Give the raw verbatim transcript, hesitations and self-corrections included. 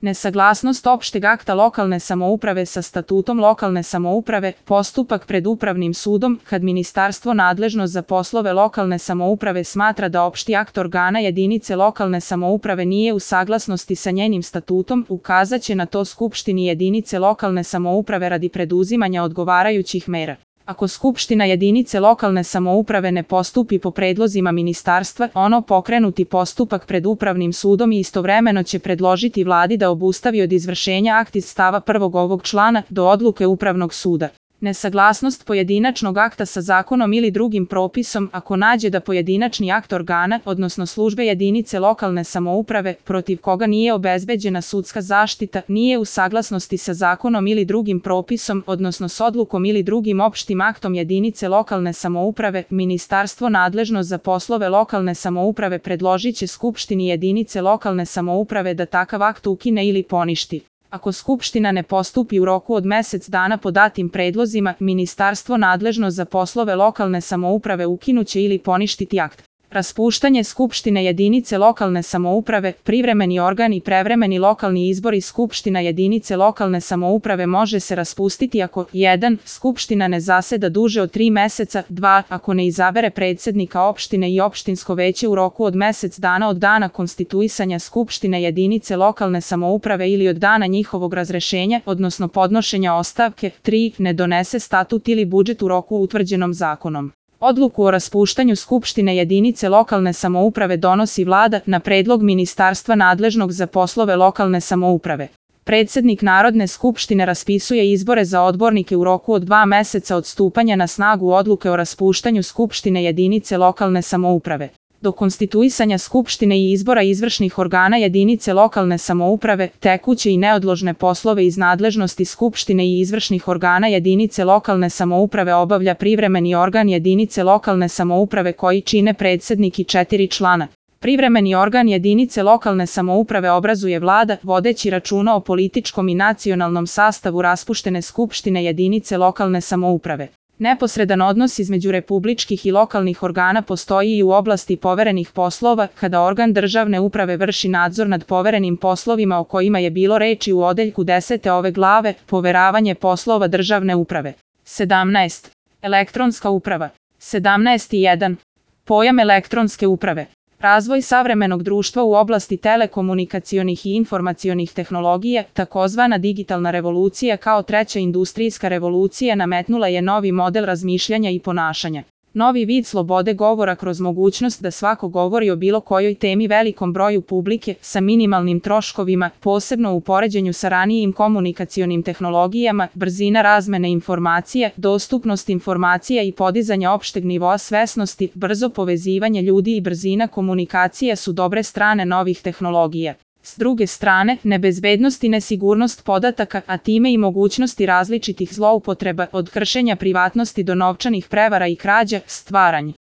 Nesaglasnost opšteg akta lokalne samouprave sa statutom lokalne samouprave, postupak pred upravnim sudom, kad ministarstvo nadležno za poslove lokalne samouprave smatra da opšti akt organa jedinice lokalne samouprave nije u saglasnosti sa njenim statutom, ukazaće na to skupštini jedinice lokalne samouprave radi preduzimanja odgovarajućih mera. Ako skupština jedinice lokalne samouprave ne postupi po predlozima ministarstva, ono pokrenuti postupak pred upravnim sudom i istovremeno će predložiti vladi da obustavi od izvršenja akt iz stava prvog ovog člana do odluke upravnog suda. Nesaglasnost pojedinačnog akta sa zakonom ili drugim propisom ako nađe da pojedinačni akt organa, odnosno službe jedinice lokalne samouprave, protiv koga nije obezbeđena sudska zaštita, nije u saglasnosti sa zakonom ili drugim propisom, odnosno s odlukom ili drugim opštim aktom jedinice lokalne samouprave, ministarstvo nadležno za poslove lokalne samouprave predložit će skupštini jedinice lokalne samouprave da takav akt ukine ili poništi. Ako skupština ne postupi u roku od mesec dana po datim predlozima, ministarstvo nadležno za poslove lokalne samouprave ukinuće ili poništiti akt. Raspuštanje skupštine jedinice lokalne samouprave, privremeni organ i prevremeni lokalni izbori skupština jedinice lokalne samouprave može se raspustiti ako jedan skupština ne zaseda duže od tri meseca, dva ako ne izabere predsednika opštine i opštinsko veće u roku od mesec dana od dana konstituisanja skupštine jedinice lokalne samouprave ili od dana njihovog razrešenja, odnosno podnošenja ostavke, tri ne donese statut ili budžet u roku utvrđenom zakonom. Odluku o raspuštanju skupštine jedinice lokalne samouprave donosi vlada na predlog ministarstva nadležnog za poslove lokalne samouprave. Predsednik Narodne skupštine raspisuje izbore za odbornike u roku od dva meseca od stupanja na snagu odluke o raspuštanju skupštine jedinice lokalne samouprave. Do konstituisanja skupštine i izbora izvršnih organa jedinice lokalne samouprave, tekuće i neodložne poslove iz nadležnosti skupštine i izvršnih organa jedinice lokalne samouprave obavlja privremeni organ jedinice lokalne samouprave koji čine predsednik i četiri člana. Privremeni organ jedinice lokalne samouprave obrazuje vlada, vodeći računa o političkom i nacionalnom sastavu raspuštene skupštine jedinice lokalne samouprave. Neposredan odnos između republičkih i lokalnih organa postoji i u oblasti poverenih poslova, kada organ državne uprave vrši nadzor nad poverenim poslovima o kojima je bilo reči u odeljku desete ove glave, poveravanje poslova državne uprave. sedamnaest. Elektronska uprava. sedamnaest jedan. Pojam elektronske uprave. Razvoj savremenog društva u oblasti telekomunikacionih i informacionih tehnologija, takozvana digitalna revolucija kao treća industrijska revolucija nametnula je novi model razmišljanja i ponašanja. Novi vid slobode govora kroz mogućnost da svako govori o bilo kojoj temi velikom broju publike, sa minimalnim troškovima, posebno u poređenju sa ranijim komunikacionim tehnologijama, brzina razmene informacija, dostupnost informacija i podizanje opšteg nivoa svesnosti, brzo povezivanje ljudi i brzina komunikacija su dobre strane novih tehnologija. S druge strane, nebezbednost i nesigurnost podataka, a time i mogućnosti različitih zloupotreba, od kršenja privatnosti do novčanih prevara i krađa, stvaranje